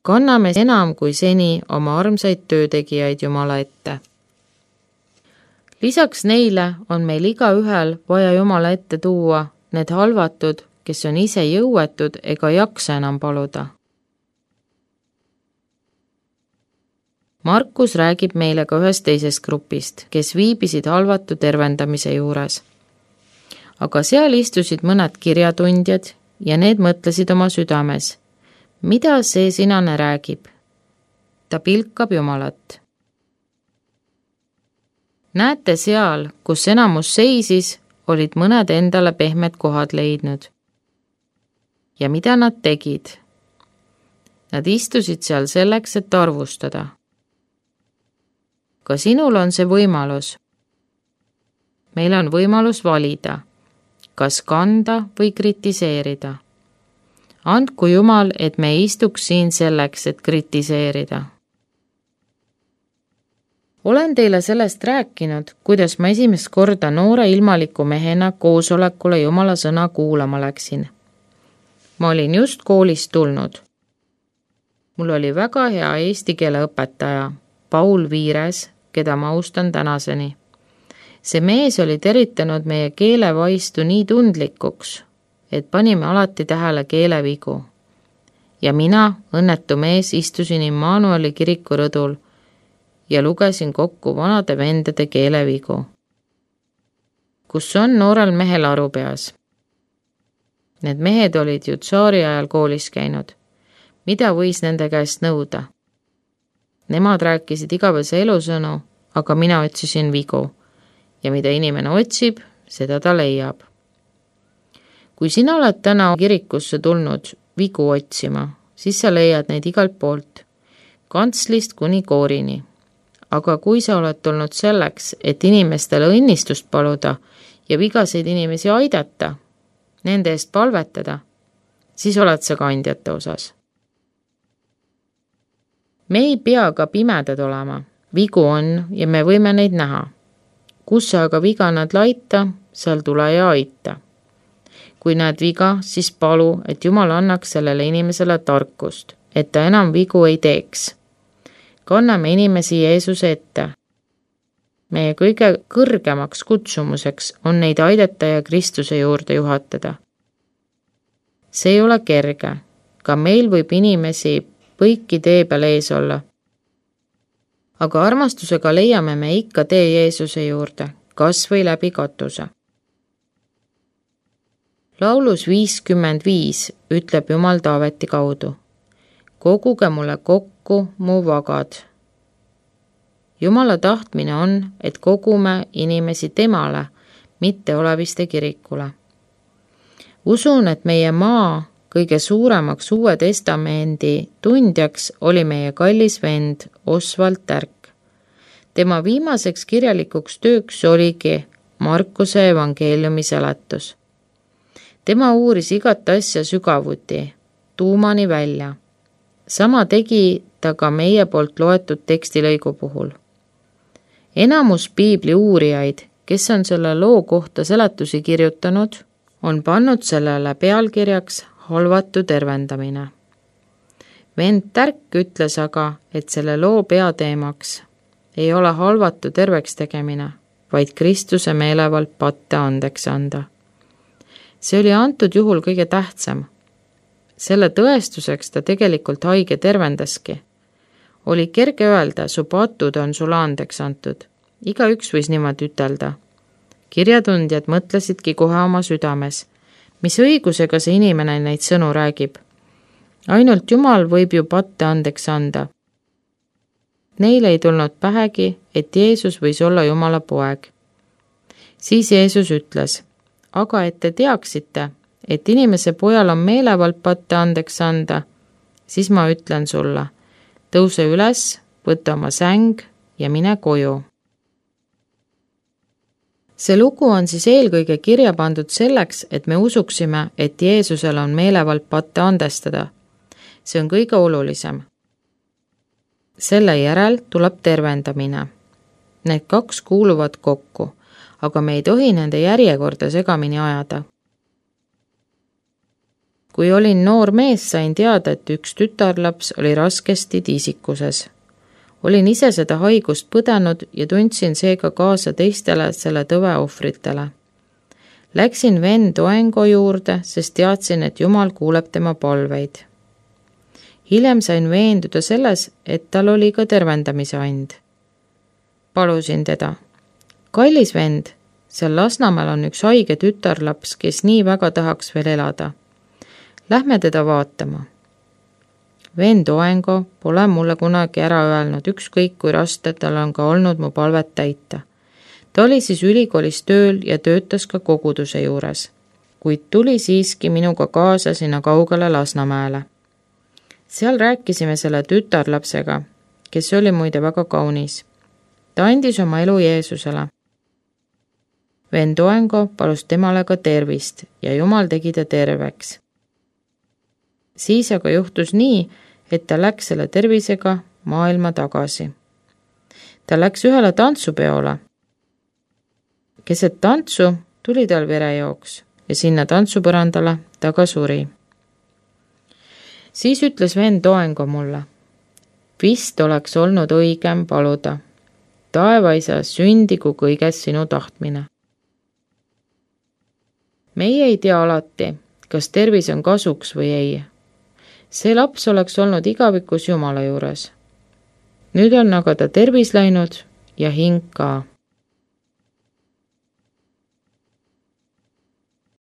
kanname enam kui seni oma armsaid töötegijaid Jumala ette. Lisaks neile on meil igaühel vaja Jumala ette tuua need halvatud, kes on ise jõuetud ega jaksa enam paluda. Markus räägib meile ka ühest teisest grupist, kes viibisid halvatu tervendamise juures. Aga seal istusid mõned kirjatundjad ja need mõtlesid oma südames. Mida see sinane räägib? Ta pilkab Jumalat. Näete seal, kus enamus seisis, olid mõned endale pehmed kohad leidnud. Ja mida nad tegid? Nad istusid seal selleks, et arvustada. Ka sinul on see võimalus. Meil on võimalus valida, kas kanda või kritiseerida. Andku Jumal, et me istuks siin selleks, et kritiseerida. Olen teile sellest rääkinud, kuidas ma esimest korda noore ilmaliku mehena koosolekule Jumala sõna kuulama läksin. Ma olin just koolist tulnud. Mul oli väga hea eesti keele õpetaja, Paul Viires, keda ma austan tänaseni. See mees oli teritanud meie keelevaistu nii tundlikuks, et panime alati tähele keelevigu. Ja mina, õnnetu mees, istusin Immanueli kiriku rõdul ja lugesin kokku vanade vendade keelevigu. Kus on noorel mehel aru peas? Need mehed olid ju tsaari ajal koolis käinud. Mida võis nende käest nõuda? Nemad rääkisid igavese elusõnu, aga mina otsisin vigu. Ja mida inimene otsib, seda ta leiab. Kui sina oled täna kirikusse tulnud vigu otsima, siis sa leiad neid igalt poolt, kantslist kuni koorini. Aga kui sa oled tulnud selleks, et inimestele õnnistust paluda ja vigaseid inimesi aidata, nende eest palvetada, siis oled sa kandjate osas. Me ei pea ka pimedad olema, vigu on ja me võime neid näha. Kus sa aga viga nad laita, seal tule ja aita. Kui näed viga, siis palu, et Jumal annaks sellele inimesele tarkust, et ta enam vigu ei teeks. Kanname inimesi Jeesuse ette. Meie kõige kõrgemaks kutsumuseks on neid aidata ja Kristuse juurde juhatada. See ei ole kerge, ka meil võib inimesi põiki tee peal ees olla. Aga armastusega leiame me ikka tee Jeesuse juurde, kas või läbi katuse. Laulus 55 ütleb Jumal Taaveti kaudu. Koguge mulle kokku mu vagad. Jumala tahtmine on, et kogume inimesi temale, mitte oleviste kirikule. Usun, et meie maa kõige suuremaks Uue Testamendi tundjaks oli meie kallis vend Oswald Tärk. Tema viimaseks kirjalikuks tööks oligi Markuse evangeeliumi seletus. Tema uuris igat asja sügavuti, tuumani välja. Sama tegi ta ka meie poolt loetud tekstilõigu puhul. Enamus piibli uurijaid, kes on selle loo kohta seletusi kirjutanud, on pannud sellele pealkirjaks halvatu tervendamine. Vend Tärk ütles aga, et selle loo peateemaks ei ole halvatu terveks tegemine, vaid Kristuse meelevald patte andeks anda. See oli antud juhul kõige tähtsam. Selle tõestuseks ta tegelikult haige tervendaski. Oli kerge öelda, su patud on sulle andeks antud. Igaüks võis niimoodi ütelda. Kirjatundjad mõtlesidki kohe oma südames. Mis õigusega see inimene neid sõnu räägib? Ainult Jumal võib ju patte andeks anda. Neile ei tulnud pähegi, et Jeesus võis olla Jumala poeg. Siis Jeesus ütles, aga et te teaksite, et inimese pojal on meelevald patte andeks anda, siis ma ütlen sulle, tõuse üles, võta oma säng ja mine koju. See lugu on siis eelkõige kirja pandud selleks, et me usuksime, et Jeesusel on meelevald patte andestada. See on kõige olulisem. Selle järel tuleb tervendamine. Need kaks kuuluvad kokku, aga me ei tohi nende järjekorda segamini ajada. Kui olin noor mees, sain teada, et üks tütarlaps oli raskesti tiisikuses. Olin ise seda haigust põdenud ja tundsin seega kaasa teistele selle tõve ohvritele. Läksin vend Oengo juurde, sest teadsin, et Jumal kuuleb tema palveid. Hiljem sain veenduda selles, et tal oli ka tervendamise and. Palusin teda. Kallis vend, seal Lasnamäel on üks haige tütarlaps, kes nii väga tahaks veel elada. Lähme teda vaatama. Vend Oengo pole mulle kunagi ära öelnud, ükskõik kui raske tal on ka olnud mu palvet täita. Ta oli siis ülikoolis tööl ja töötas ka koguduse juures, kuid tuli siiski minuga kaasa sinna kaugele Lasnamäele. Seal rääkisime selle tütarlapsega, kes oli muide väga kaunis. Ta andis oma elu Jeesusele. Vend Oengo palus temale ka tervist ja Jumal tegi ta terveks. Siis aga juhtus nii, et ta läks selle tervisega maailma tagasi. Ta läks ühele tantsupeole. Keset tantsu tuli tal verejooks ja sinna tantsupõrandale ta ka suri. Siis ütles vend Oengo mulle, vist oleks olnud õigem paluda, taevaisa, sündigu kõiges sinu tahtmine. Meie ei tea alati, kas tervis on kasuks või ei. See laps oleks olnud igavikus Jumala juures. Nüüd on aga ta tervis läinud ja hing ka.